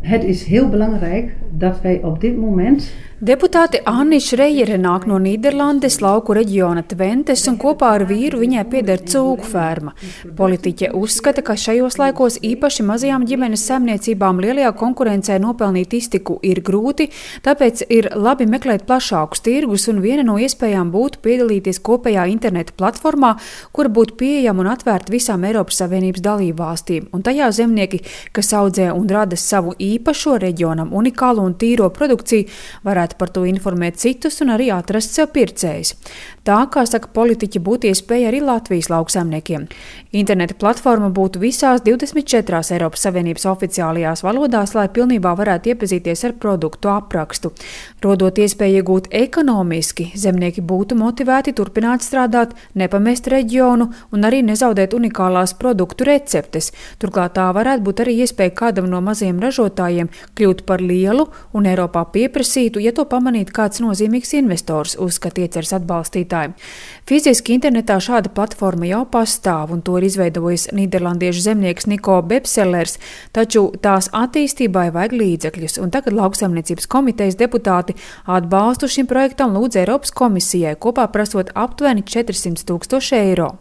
Het is heel belangrijk dat wij op dit moment Deputāte Anna Šrejere nāk no Nīderlandes lauku reģiona Tventes un kopā ar vīru viņai pieder cūku ferma. Politiķe uzskata, ka šajos laikos īpaši mazajām ģimenes saimniecībām lielajā konkurencē nopelnīt iztiku ir grūti, tāpēc ir labi meklēt plašākus tirgus un viena no iespējām būtu piedalīties kopējā interneta platformā, kura būtu pieejama un atvērta visām Eiropas Savienības dalībvalstīm. Un tajā zemnieki, kas audzē un rada savu īpašo reģionam unikālu un tīro produkciju, varētu par to informēt citus un arī atrast sev pircējus. Tā, kā saka politiķi, būtu iespēja arī Latvijas lauksaimniekiem. Interneta platforma būtu visās 24 Eiropas Savienības oficiālajās valodās, lai pilnībā varētu iepazīties ar produktu aprakstu. Rodot iespēju iegūt ekonomiski, zemnieki būtu motivēti turpināt strādāt, nepamest reģionu un arī nezaudēt unikālās produktu receptes. Turklāt tā varētu būt arī iespēja kādam no mazajiem ražotājiem kļūt par lielu un Eiropā pieprasītu, ja to pamanītu kāds nozīmīgs investors, uzskata ieceres atbalstītāji. Fiziski internetā šāda platforma jau pastāv, un to ir izveidojis nīderlandiešu zemnieks Niko Bepsellers, taču tās attīstībai vajag līdzekļus, un tagad lauksaimniecības komitejas deputāti atbalstu šim projektam lūdz Eiropas komisijai, kopā prasot aptuveni 400 000 eiro.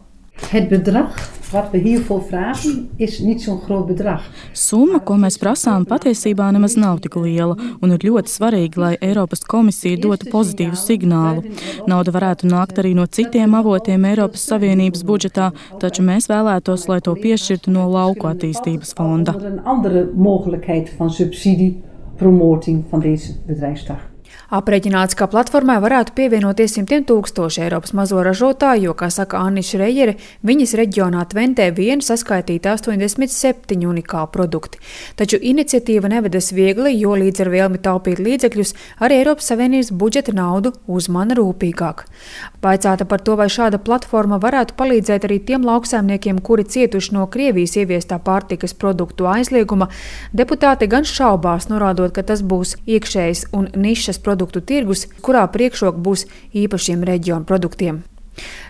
Het bedrag wat we hiervoor vragen is niet zo'n groot bedrag. Summa, ko mēs prasām, patiesībā nemaz nav tik liela, un ir ļoti svarīgi, lai Eiropas komisija dotu pozitīvu signālu. Nauda varētu nākt arī no citiem avotiem Eiropas Savienības budžetā, taču mēs vēlētos, lai to piešķirtu no lauku attīstības fonda. Een andere mogelijkheid van subsidie, promoting van deze bedrijfstak. Aprēķināts, ka platformai varētu pievienoties 100 000 Eiropas mazo ražotāju, jo, kā saka Anna Šrejere, viņas reģionā Tventē vien saskaitīta 87 unikāli produkti. Taču iniciatīva nevedas viegli, jo līdz ar vēlmi taupīt līdzekļus arī Eiropas Savienības budžeta naudu uzmana rūpīgāk. Vaicāta par to, vai šāda platforma varētu palīdzēt arī tiem lauksaimniekiem, kuri cietuši no Krievijas ieviestā pārtikas produktu aizlieguma, deputāti gan šaubās, norādot, ka tas būs iekšējs un nišas produktu tirgus, kurā priekšroka būs īpašiem reģionu produktiem.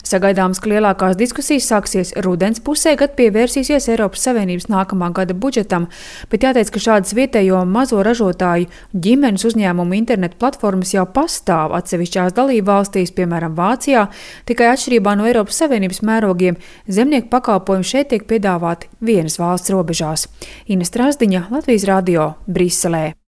Sagaidāms, ka lielākās diskusijas sāksies rudens pusē, kad pievērsīsies Eiropas Savienības nākamā gada budžetam, bet jāteic, ka šādas vietējo mazo ražotāju ģimenes uzņēmumu internetu platformas jau pastāv atsevišķās dalībvalstīs, piemēram Vācijā, tikai atšķirībā no Eiropas Savienības mērogiem zemnieku pakalpojumi šeit tiek piedāvāti vienas valsts robežās. Ines Strasdiņa, Latvijas radio, Briselē.